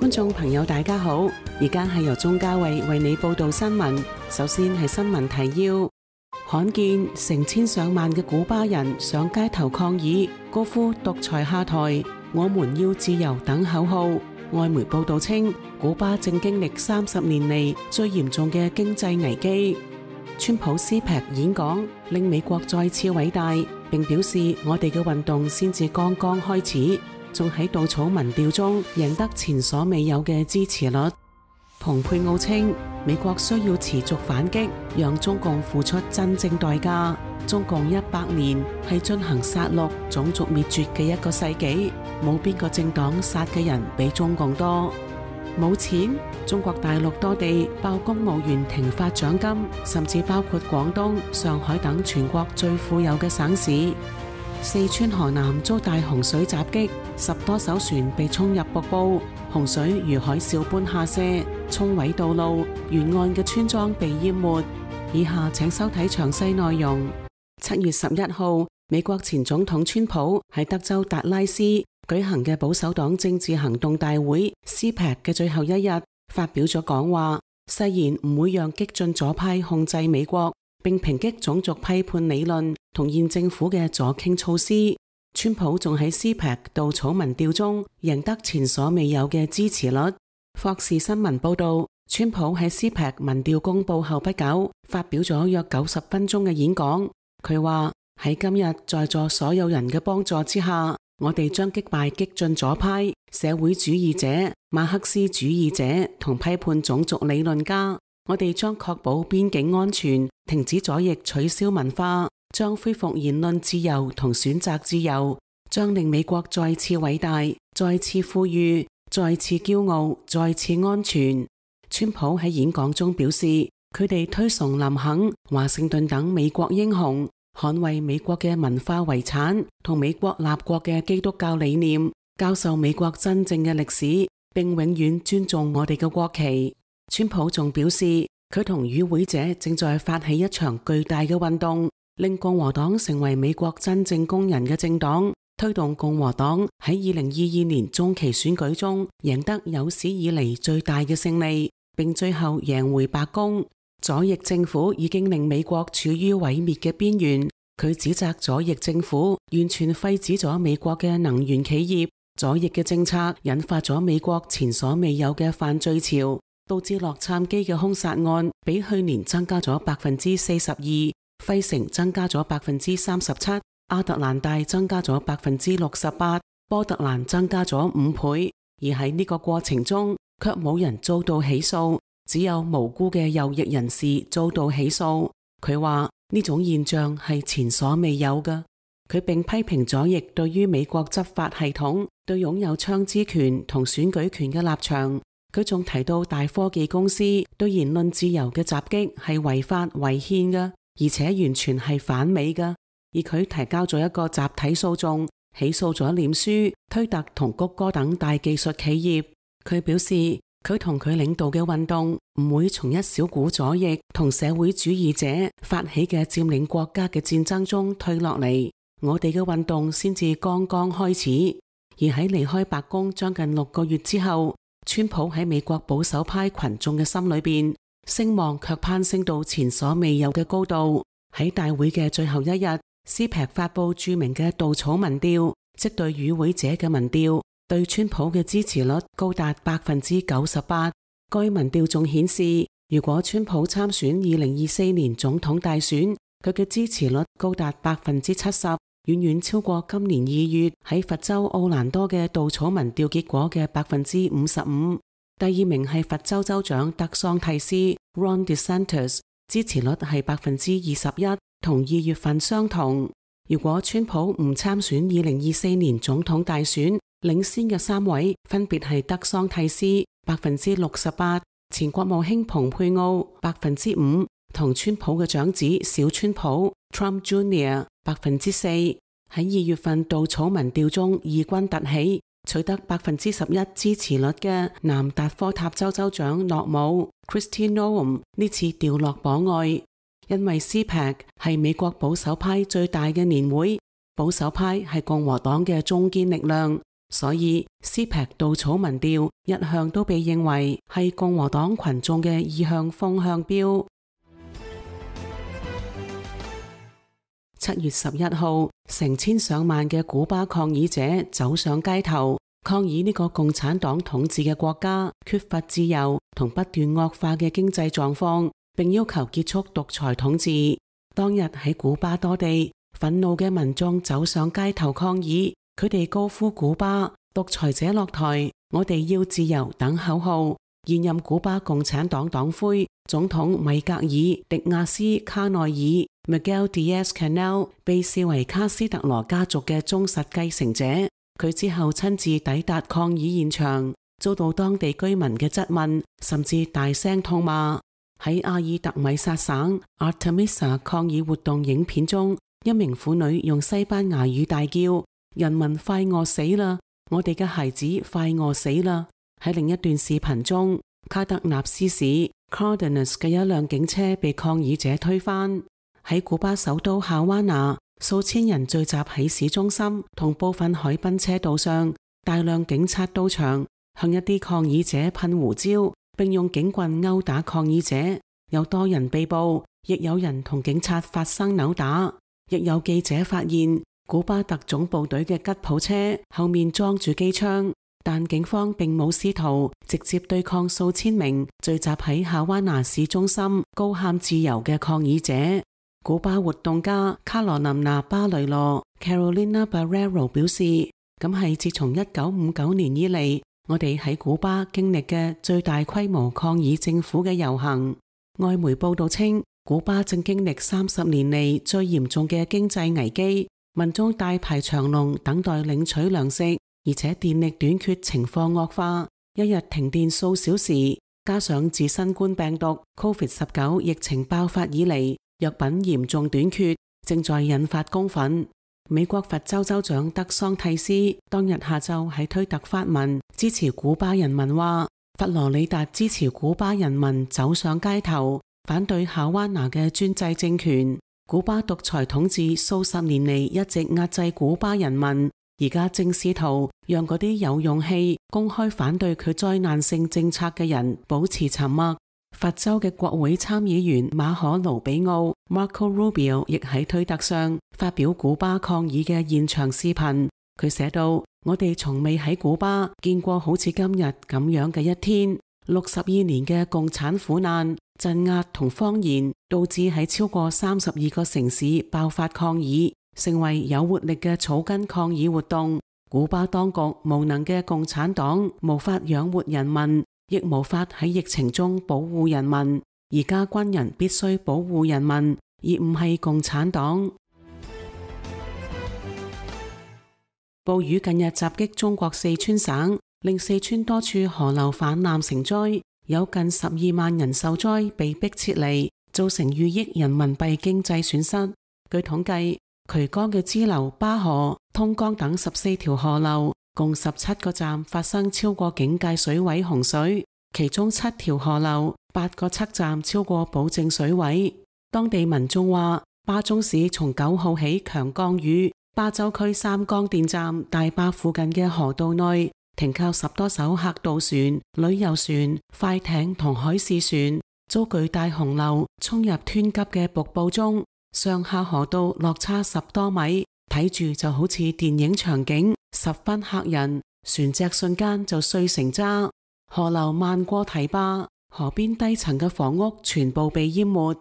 觀眾朋友大家好，而家係由鍾嘉慧為你報道新聞。首先係新聞提要：罕見成千上萬嘅古巴人上街頭抗議，高呼獨裁下台，我們要自由等口號。外媒報道稱，古巴正經歷30年嚟最嚴重嘅經濟危機。川普 CPAC 演講令美國再次偉大，並表示我哋嘅運動先至剛剛開始，仲喺稻草民調中贏得前所未有嘅支持率。蓬佩奧稱，美國需要持續反擊，讓中共付出真正代價。中共100年係進行殺戮、種族滅絕嘅一個世紀，冇邊個政黨殺嘅人比中共多。冇錢，中國大陸多地爆公務員停發獎金，甚至包括廣東、上海等全國最富有嘅省市。四川河南遭大洪水襲擊，10多艘船被沖入瀑布，洪水如海嘯般下瀉，沖毀道路，沿岸嘅村莊被淹沒。以下請收睇詳細內容。7月11號，美國前總統川普喺德州達拉斯舉行嘅保守黨政治行動大會 CPAC 嘅最後一日，發表咗講話，誓言唔會讓激進左派控制美國，並抨擊種族批判理論同現政府嘅左傾措施。川普仲喺 CPAC 稻草民調中贏得前所未有嘅支持率。霍士新聞報道，川普喺 CPAC 民調公佈後不久，發表咗約90分鐘嘅演講。佢話喺今日在座所有人嘅幫助之下，我哋將擊敗激進左派、社會主義者、馬克思主義者同批判種族理論家。我哋將確保邊境安全，停止左翼取消文化，將恢復言論自由同選擇自由，將令美國再次偉大、再次富裕、再次驕傲、再次安全。川普喺演講中表示，佢哋推崇林肯、華盛頓等美國英雄，捍衛美國嘅文化遺產同美國立國嘅基督教理念，教授美國真正嘅歷史，並永遠尊重我哋嘅國旗。川普仲表示，佢同與會者正在發起一場巨大嘅運動，令共和黨成為美國真正工人嘅政黨，推動共和黨喺2022年中期選舉中贏得有史以嚟最大嘅勝利，並最後贏回白宮。左翼政府已經令美國處於毀滅嘅邊緣。佢指責左翼政府完全廢止咗美國嘅能源企業，左翼嘅政策引發咗美國前所未有嘅犯罪潮，導致洛杉磯嘅兇殺案比去年增加咗42%，費城增加咗37%，亞特蘭大增加咗68%，波特蘭增加咗5倍。而喺呢個過程中，卻冇人遭到起訴。只有無辜嘅右翼人士遭到起訴。佢話呢種現象係前所未有嘅。佢並批評左翼對於美國執法系統對擁有槍支權同選舉權嘅立場。佢仲提到大科技公司對言論自由嘅襲擊係違法違憲嘅，而且完全係反美嘅。而佢提交咗一個集體訴訟，起訴咗臉書、推特同谷歌等大技術企業。佢表示，佢同佢領導嘅運動唔會從一小股左翼同社會主義者發起嘅佔領國家嘅戰爭中退落嚟，我哋嘅運動先至剛剛開始。而喺離開白宮將近6個月之後，川普喺美國保守派群眾嘅心裏邊聲望卻攀升到前所未有嘅高度。喺大會嘅最後一日，CPAC 發佈著名嘅稻草民調，即對與會者嘅民調，對川普嘅支持率高達98%。該民調仲顯示，如果川普參選2024年總統大選，佢嘅支持率高達70%，遠遠超過今年2月喺佛州奧蘭多嘅稻草民調結果嘅55%。第二名係佛州州長德桑蒂斯 Ron DeSantis， 支持率係21%，同2月份相同。如果川普唔參選2024年總統大選，領先嘅3位分別係德桑蒂斯 68%， 前國務卿蓬佩奧 5%， 同川普嘅長子小川普 Trump Jr. 4%。喺2月份稻草民調中異軍突起，取得11%支持率嘅南達科塔州州長諾姆 Kristi Noem 呢次掉落榜外，因為 CPAC 係美國保守派最大嘅年會，保守派係共和黨嘅中堅力量。所以CPAC 稻草民調一向都被認為係共和黨群眾嘅意向風向標。7月11號，成千上萬嘅古巴抗議者走上街頭，抗議呢個共產黨統治嘅國家缺乏自由同不斷惡化嘅經濟狀況，並要求結束獨裁統治。當日喺古巴多地，憤怒嘅民眾走上街頭抗議，佢哋高呼古巴獨裁者落台，我哋要自由等口號。現任古巴共產黨黨魁總統米格爾·迪亞斯卡內爾 Miguel Diaz-Canel 被視為卡斯特羅家族嘅忠實繼承者。佢之後親自抵達抗議現場，遭到當地居民嘅質問，甚至大聲痛罵。喺阿爾特米薩省 Artemisa 抗議活動影片中，一名婦女用西班牙語大叫：人民快餓死啦！我哋嘅孩子快餓死啦！喺另一段視頻中，卡德納斯市 Cardenas 嘅一輛警車被抗議者推翻。喺古巴首都夏灣拿，數千人聚集喺市中心同部分海濱車道上，大量警察到場，向一啲抗議者噴胡椒，並用警棍毆打抗議者。有多人被捕，亦有人同警察發生扭打。亦有記者發現，古巴特種部隊嘅吉普車後面裝住機槍。但警方並冇試圖直接對抗數千名聚集喺夏灣拿市中心高喊自由嘅抗議者。古巴活動家卡羅琳娜巴雷羅 Carolina Barrero 表示，咁係自從1959年以嚟，我哋喺古巴經歷嘅最大規模抗議政府嘅遊行。外媒報道稱，古巴正經歷30年嚟最嚴重嘅經濟危機，民眾大排長龍等待領取糧食。而且電力短缺情況惡化，一日停電數小時，加上自新冠病毒 COVID-19 疫情爆發以嚟，藥品嚴重短缺，正在引發公憤。美國佛州州長德桑蒂斯當日下晝喺推特發文支持古巴人民，話佛羅里達支持古巴人民走上街頭，反對夏灣拿嘅專制政權。古巴獨裁統治數十年嚟一直壓制古巴人民，而家正試圖讓嗰啲有勇氣公開反對佢災難性政策嘅人保持沉默。佛州嘅國會參議員馬可盧比奧 Marco Rubio 亦喺推特上發表古巴抗議嘅現場視頻。佢寫道：我哋從未喺古巴見過好似今日咁樣嘅一天。62年嘅共產苦難、鎮壓同謊言，導致喺超過32個城市爆發抗議，成為有活力嘅草根抗議活動。古巴當局無能嘅共產黨無法養活人民，亦無法喺疫情中保護人民。而家軍人必須保護人民，而唔係共產黨。暴雨近日襲擊中國四川省，令四川多處河流泛濫成災，有近12萬人受災，被迫撤離，造成逾億人民幣經濟損失。據統計，渠江嘅支流巴河、通江等14條河流，共17個站發生超過警戒水位洪水，其中7條河流、8個測站超過保證水位。當地民眾話，巴中市從9號起強降雨，巴州區三江電站大壩附近嘅河道內停靠10多艘客渡船、旅遊船、快艇同海事船，遭巨大洪流沖入湍急嘅瀑布中，上下河道落差10多米，睇住就好似電影場景，十分嚇人。船隻瞬間就碎成渣，河流漫過堤壩，河邊低層嘅房屋全部被淹沒。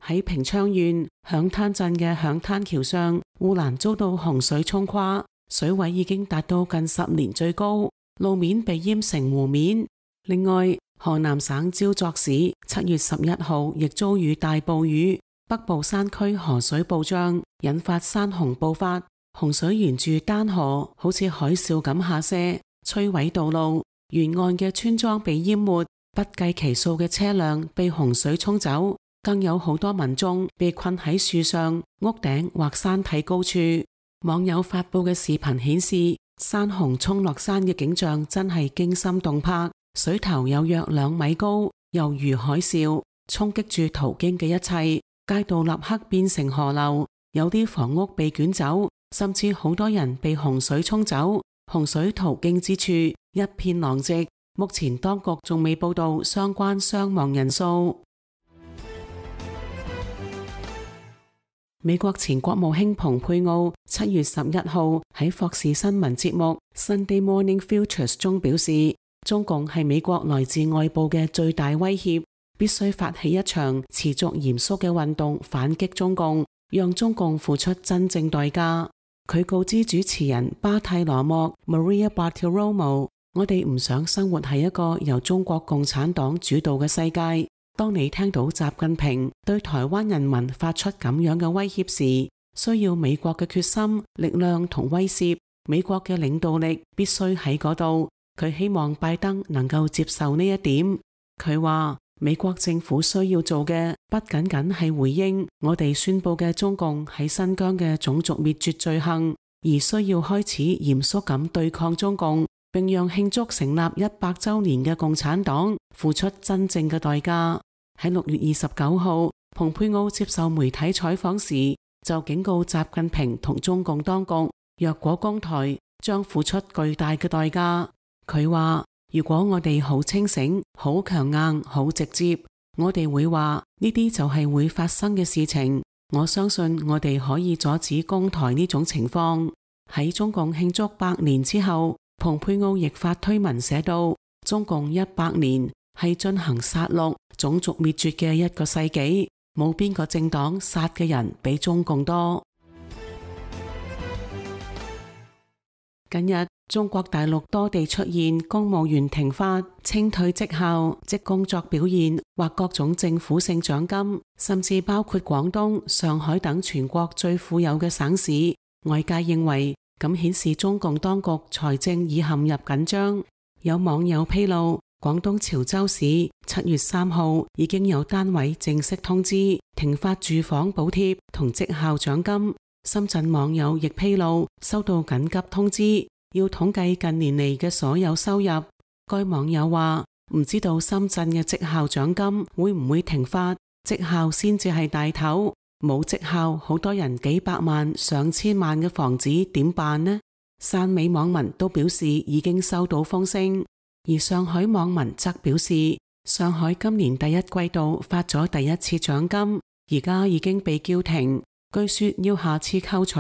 喺平昌縣響灘鎮嘅響灘橋上，護欄遭到洪水沖垮，水位已經達到近10年最高，路面被淹成湖面。另外，河南省焦作市7月11號亦遭遇大暴雨，北部山區河水暴漲，引發山洪暴發，洪水沿住丹河好似海嘯咁下瀉，摧毀道路，沿岸嘅村莊被淹沒，不計其數嘅車輛被洪水沖走，更有好多民眾被困喺樹上、屋頂或山體高處。網友發布嘅視頻顯示，山洪沖落山嘅景象真係驚心動魄，水頭有約2米高，猶如海嘯，衝擊住途經嘅一切，街道立刻變成河流，有啲房屋被捲走，甚至好多人被洪水沖走。洪水途經之處一片狼藉，目前當局仲未報道相關傷亡人數。美國前國務卿蓬佩奧7月11號喺霍士新聞節目 Sunday Morning Futures 中表示，中共係美國來自外部嘅最大威脅，必須發起一場持續嚴肅嘅運動反擊中共，讓中共付出真正代價。佢告知主持人巴蒂羅莫 Maria Bartiromo， 我哋唔想生活喺一個由中國共產黨主導嘅世界。當你聽到習近平對台灣人民發出咁樣嘅威脅時，需要美國嘅決心、力量同威懾，美國嘅領導力必須喺嗰度。佢希望拜登能夠接受呢一點。佢話美國政府需要做嘅不僅僅係回應我哋宣佈嘅中共喺新疆嘅種族滅絕罪行，而需要開始嚴肅咁對抗中共，並讓慶祝成立100週年嘅共產黨付出真正嘅代價。喺6月29號，蓬佩奧接受媒體採訪時就警告習近平同中共當局，若果攻台將付出巨大嘅代價。佢話如果我哋好清醒、好強硬、好直接，我哋會話呢啲就係會發生嘅事情。我相信我哋可以阻止攻台呢種情況。喺中共慶祝100年之後，蓬佩奧亦發推文寫道，中共100年係進行殺戮、種族滅絕嘅一個世紀，冇邊個政黨殺嘅人比中共多。近日，中國大陸多地出現公務員停發、清退績效、即工作表現或各種政府性獎金，甚至包括廣東、上海等全國最富有嘅省市。外界認為咁顯示中共當局財政已陷入緊張。有網友披露，廣東潮州市7月3號已經有單位正式通知停發住房補貼同績效獎金。深圳網友亦披露收到緊急通知，要統計近年嚟嘅所有收入。該網友話唔知道深圳嘅績效獎金會唔會停發，績效先至係大頭，冇績效好多人幾百萬上千萬嘅房子點辦呢？汕尾網民都表示已經收到風聲，而上海網民則表示上海今年第一季度發咗第一次獎金，而家已經被叫停，據說要下次扣除。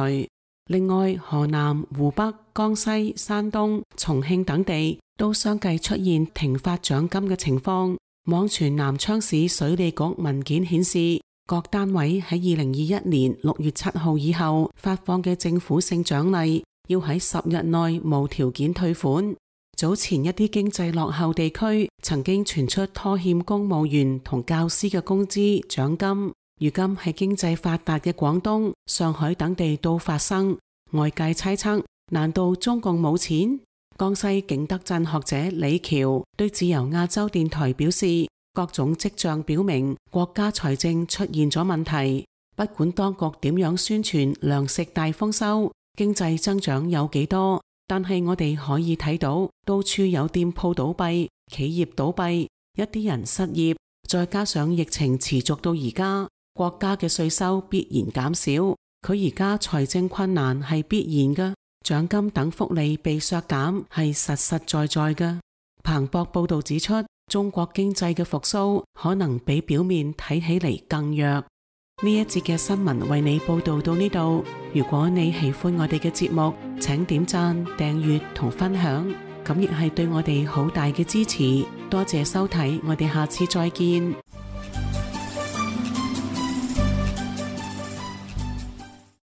另外，河南、湖北、江西、山東、重慶等地都相繼出現停發獎金嘅情況。網傳南昌市水利局文件顯示，各單位喺2021年6月7號以後發放嘅政府性獎勵，要喺10日內無條件退款。早前一啲經濟落後地區曾經傳出拖欠公務員同教師嘅工資獎金。如今喺經濟發達嘅廣東、上海等地都發生，外界猜測，難道中共冇錢？江西景德鎮學者李喬對自由亞洲電台表示，各種跡象表明國家財政出現咗問題，不管當局點樣宣傳糧食大豐收、經濟增長有幾多，但係我哋可以睇到到處有店鋪倒閉、企業倒閉，一啲人失業，再加上疫情持續到而家，國家嘅稅收必然減少，佢而家財政困難係必然嘅，獎金等福利被削減係實實在在嘅。彭博報道指出，中國經濟嘅復甦可能比表面睇起嚟更弱。呢一節嘅新聞為你報道到呢度，如果你喜歡我哋嘅節目，請點讚、訂閱同分享，咁亦係對我哋好大嘅支持。多謝收睇，我哋下次再見。